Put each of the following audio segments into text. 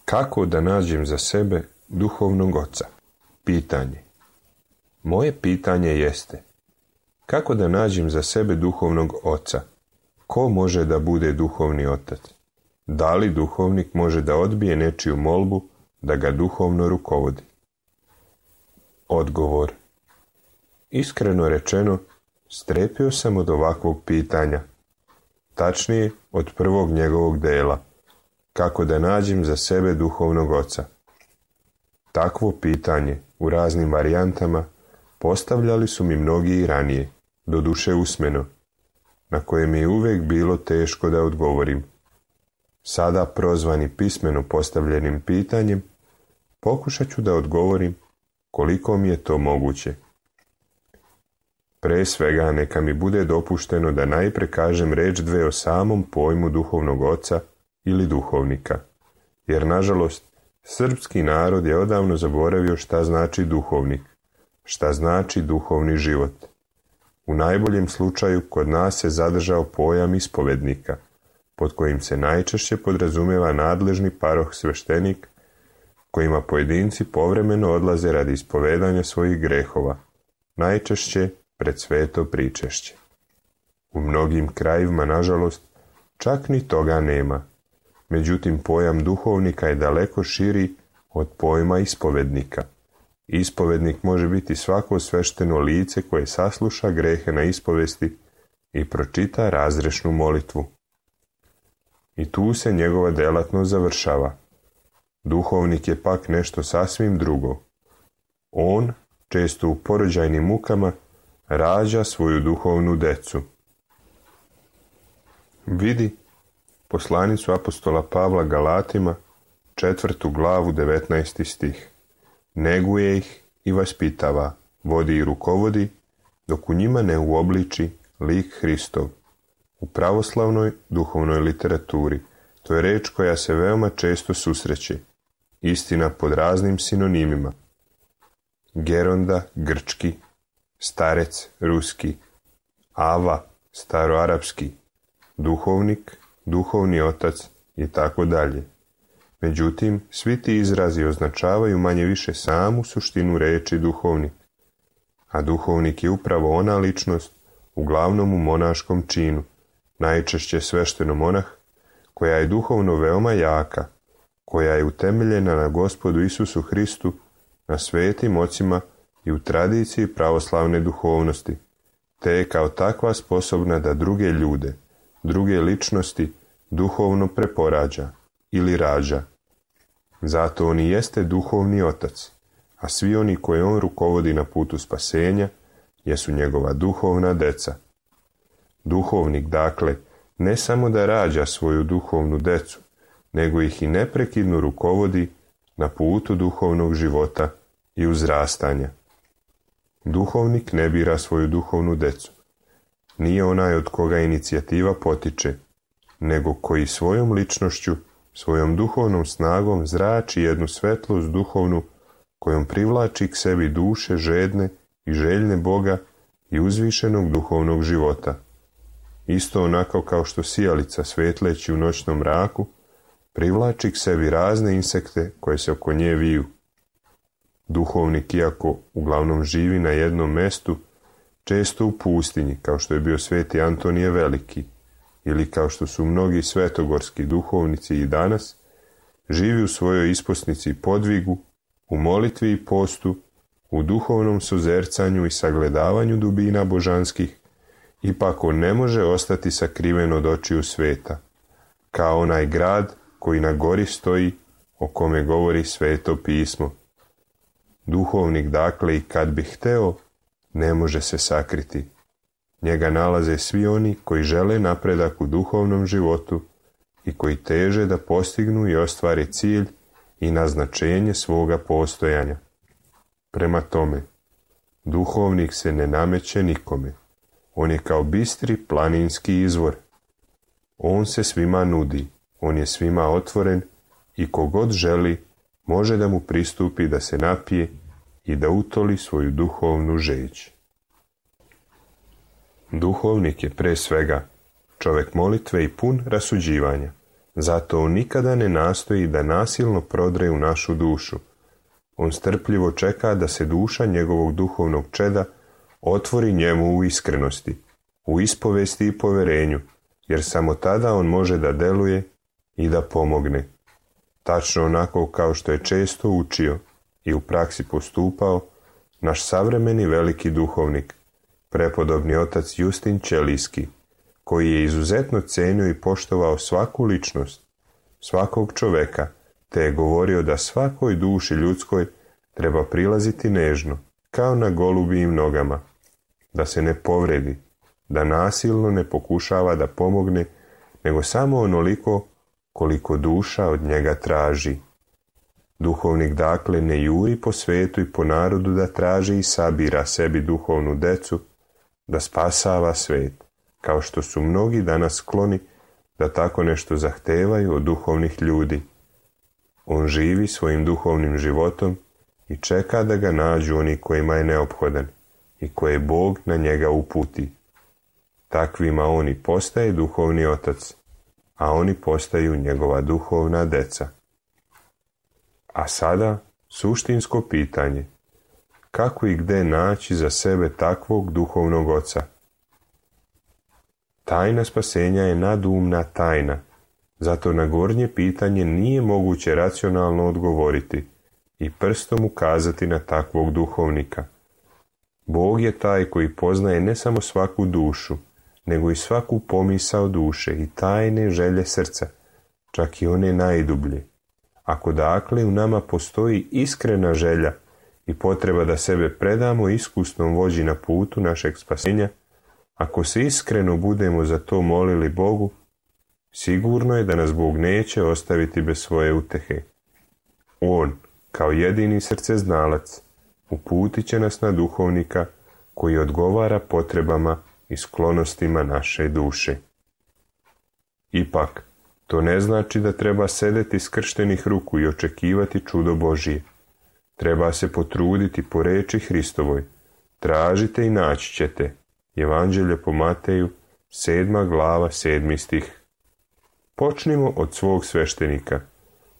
Kako da nađem za sebe duhovnog oca? Pitanje. Moje pitanje jeste: kako da nađem za sebe duhovnog oca? Ko može da bude duhovni otac? Da li duhovnik može da odbije nečiju molbu da ga duhovno rukovodi? Odgovor. Iskreno rečeno, strepio sam od ovakvog pitanja. Tačnije, od prvog njegovog dela. Kako da nađem za sebe duhovnog oca? Takvo pitanje, u raznim varijantama, postavljali su mi mnogi i ranije, doduše usmeno, na koje mi je uvijek bilo teško da odgovorim. Sada, prozvani pismeno postavljenim pitanjem, pokušat ću da odgovorim koliko mi je to moguće. Pre svega neka mi bude dopušteno da najpre kažem reč dve o samom pojmu duhovnog oca ili duhovnika, jer nažalost srpski narod je odavno zaboravio šta znači duhovnik, šta znači duhovni život. U najboljem slučaju kod nas se zadržao pojam ispovednika, pod kojim se najčešće podrazumijeva nadležni paroh sveštenik, kojima pojedinci povremeno odlaze radi ispovedanja svojih grehova, najčešće pred sveto pričešće. U mnogim krajevima, nažalost, čak ni toga nema. Međutim, pojam duhovnika je daleko širi od pojma ispovednika. Ispovednik može biti svako svešteno lice koje sasluša grehe na ispovesti i pročita razrešnu molitvu. I tu se njegova delatnost završava. Duhovnik je pak nešto sasvim drugo. On, često u porođajnim mukama, rađa svoju duhovnu decu. Vidi poslanicu apostola Pavla Galatima, 4. glavu, 19. stih. Neguje ih i vaspitava, vodi i rukovodi, dok u njima ne uobliči lik Hristov. U pravoslavnoj duhovnoj literaturi to je reč koja se veoma često susreće, istina pod raznim sinonimima. Geronda, grčki, starec, ruski, ava, staroarapski, duhovnik, duhovni otac i tako dalje. Međutim, svi ti izrazi označavaju manje više samu suštinu reči duhovnik, a duhovnik je upravo ona ličnost, uglavnom u monaškom činu, najčešće svešteno monah, koja je duhovno veoma jaka, koja je utemeljena na Gospodu Isusu Hristu, na svetim ocima i u tradiciji pravoslavne duhovnosti, te je kao takva sposobna da druge ljude, druge ličnosti duhovno preporađa ili rađa. Zato on i jeste duhovni otac, a svi oni koje on rukovodi na putu spasenja jesu njegova duhovna deca. Duhovnik, dakle, ne samo da rađa svoju duhovnu decu, nego ih i neprekidno rukovodi na putu duhovnog života i uzrastanja. Duhovnik ne bira svoju duhovnu decu. Nije onaj od koga inicijativa potiče, nego koji svojom ličnošću, svojom duhovnom snagom zrači jednu svetlost duhovnu kojom privlači k sebi duše žedne i željne Boga i uzvišenog duhovnog života. Isto onako kao što sijalica svetleći u noćnom mraku privlači k sebi razne insekte koje se oko nje viju. Duhovnik, iako uglavnom živi na jednom mestu, često u pustinji, kao što je bio sveti Antonije Veliki, ili kao što su mnogi svetogorski duhovnici i danas, živi u svojoj isposnici i podvigu, u molitvi i postu, u duhovnom suzercanju i sagledavanju dubina božanskih, ipak on ne može ostati sakriven od očiju sveta, kao onaj grad koji na gori stoji, o kome govori Sveto pismo. Duhovnik, dakle, i kad bi hteo, ne može se sakriti. Njega nalaze svi oni koji žele napredak u duhovnom životu i koji teže da postignu i ostvare cilj i naznačenje svoga postojanja. Prema tome, duhovnik se ne nameće nikome. On je kao bistri planinski izvor. On se svima nudi, on je svima otvoren i kogod želi može da mu pristupi da se napije i da utoli svoju duhovnu žeđ. Duhovnik je pre svega čovjek molitve i pun rasuđivanja, Zato on nikada ne nastoji da nasilno prodre u našu dušu. On strpljivo čeka da se duša njegovog duhovnog čeda otvori njemu u iskrenosti, u ispovesti i poverenju, jer samo tada on može da deluje i da pomogne. Tačno onako kao što je često učio i u praksi postupao naš savremeni veliki duhovnik, prepodobni otac Justin Ćelijski, koji je izuzetno cenio i poštovao svaku ličnost, svakog čoveka, te je govorio da svakoj duši ljudskoj treba prilaziti nežno, kao na golubijim nogama, da se ne povredi, da nasilno ne pokušava da pomogne, nego samo onoliko koliko duša od njega traži. Duhovnik dakle ne juri po svetu i po narodu da traži i sabira sebi duhovnu decu, da spasava svet, kao što su mnogi danas skloni da tako nešto zahtevaju od duhovnih ljudi. On živi svojim duhovnim životom i čeka da ga nađu oni kojima je neophodan i koje Bog na njega uputi. Takvima on i postaje duhovni otac, a oni postaju njegova duhovna deca. A sada suštinsko pitanje: kako i gde naći za sebe takvog duhovnog oca? Tajna spasenja je nadumna tajna, zato na gornje pitanje nije moguće racionalno odgovoriti i prstom ukazati na takvog duhovnika. Bog je taj koji poznaje ne samo svaku dušu, nego i svaku pomisao duše i tajne želje srca, čak i one najdublje. Ako dakle u nama postoji iskrena želja i potreba da sebe predamo iskusnom vođi na putu našeg spasenja, ako se iskreno budemo za to molili Bogu, sigurno je da nas Bog neće ostaviti bez svoje utehe. On, kao jedini srceznalac, uputit će nas na duhovnika koji odgovara potrebama i sklonostima naše duše. Ipak, to ne znači da treba sedeti skrštenih ruku i očekivati čudo Božije. Treba se potruditi po reči Hristovoj. Tražite i naći ćete. Evanđelje po Mateju, 7. glava, 7. stih. Počnimo od svog sveštenika.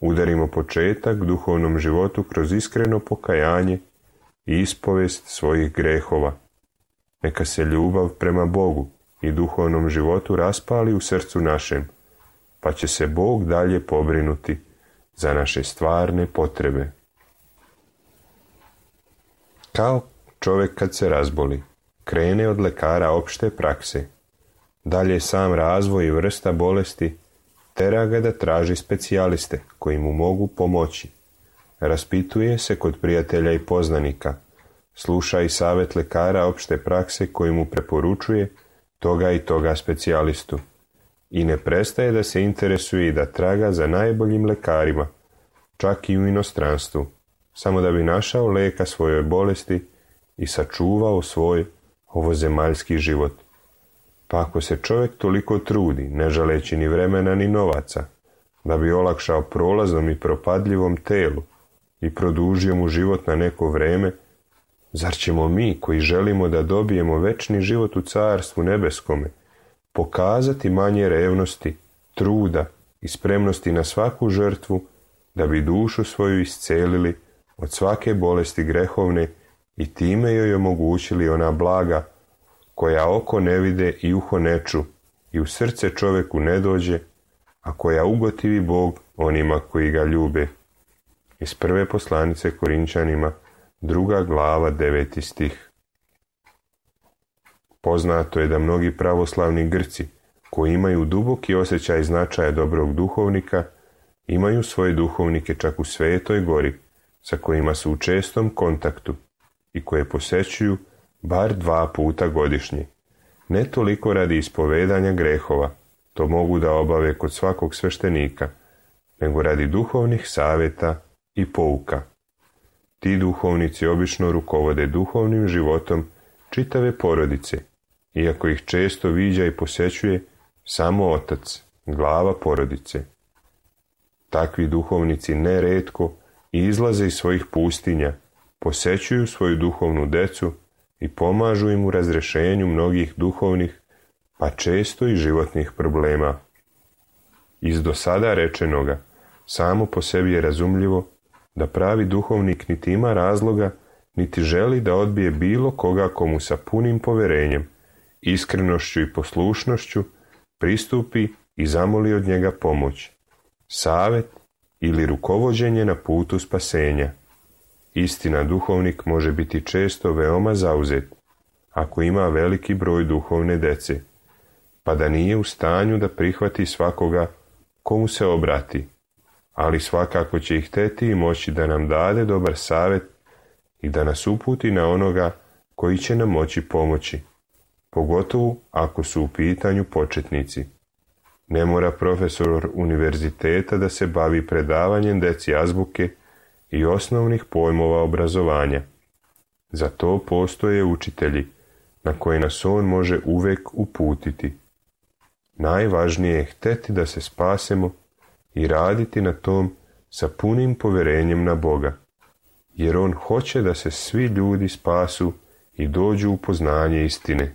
Udarimo početak duhovnom životu kroz iskreno pokajanje i ispovest svojih grehova. Neka se ljubav prema Bogu i duhovnom životu raspali u srcu našem, pa će se Bog dalje pobrinuti za naše stvarne potrebe. Kao čovjek kad se razboli, krene od lekara opšte prakse. Dalje sam razvoj i vrsta bolesti tera ga da traži specijaliste koji mu mogu pomoći. Raspituje se kod prijatelja i poznanika, sluša i savjet lekara opšte prakse koji mu preporučuje toga i toga specijalistu. I ne prestaje da se interesuje i da traga za najboljim lekarima, čak i u inostranstvu, samo da bi našao leka svojoj bolesti i sačuvao svoj ovozemaljski život. Pa ako se čovjek toliko trudi, ne žaleći ni vremena ni novaca, da bi olakšao prolaznom i propadljivom telu i produžio mu život na neko vreme, zar ćemo mi, koji želimo da dobijemo večni život u carstvu nebeskome, pokazati manje revnosti, truda i spremnosti na svaku žrtvu, da bi dušu svoju iscelili od svake bolesti grehovne i time joj omogućili ona blaga koja oko ne vide i uho ne ču i u srce čovjeku ne dođe, a koja ugotivi Bog onima koji ga ljube. Iz prve poslanice Korinčanima, 2. glava, 9. stih. Poznato je da mnogi pravoslavni Grci, koji imaju duboki osjećaj značaja dobrog duhovnika, imaju svoje duhovnike čak u Svetoj Gori, sa kojima su u čestom kontaktu i koje posećuju bar 2 puta godišnje. Ne toliko radi ispovedanja grehova, to mogu da obave kod svakog sveštenika, nego radi duhovnih savjeta i pouka. Ti duhovnici obično rukovode duhovnim životom čitave porodice, iako ih često viđa i posećuje samo otac, glava porodice. Takvi duhovnici neretko izlaze iz svojih pustinja, posećuju svoju duhovnu decu i pomažu im u razrešenju mnogih duhovnih, pa često i životnih problema. Iz do sada rečenoga samo po sebi je razumljivo da pravi duhovnik niti ima razloga, niti želi da odbije bilo koga komu sa punim poverenjem, iskrenošću i poslušnošću pristupi i zamoli od njega pomoć, savet ili rukovođenje na putu spasenja. Istina, duhovnik može biti često veoma zauzet, ako ima veliki broj duhovne dece, pa da nije u stanju da prihvati svakoga komu se obrati, ali svakako će ih hteti i moći da nam dade dobar savjet i da nas uputi na onoga koji će nam moći pomoći, pogotovo ako su u pitanju početnici. Ne mora profesor univerziteta da se bavi predavanjem deci azbuke i osnovnih pojmova obrazovanja. Za to postoje učitelji na koje nas on može uvek uputiti. Najvažnije je hteti da se spasemo i raditi na tom sa punim poverenjem na Boga, jer on hoće da se svi ljudi spasu i dođu u poznanje istine.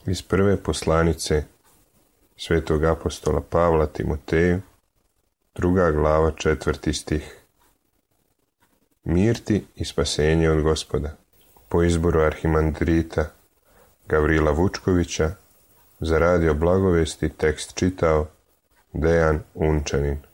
Iz prve poslanice svetog apostola Pavla Timoteju, 2. glava, 4. stih. Mir ti i spasenje od Gospoda. Po izboru arhimandrita Gavrila Vučkovića za radio Blagovesti tekst čitao Dejan Unčanin.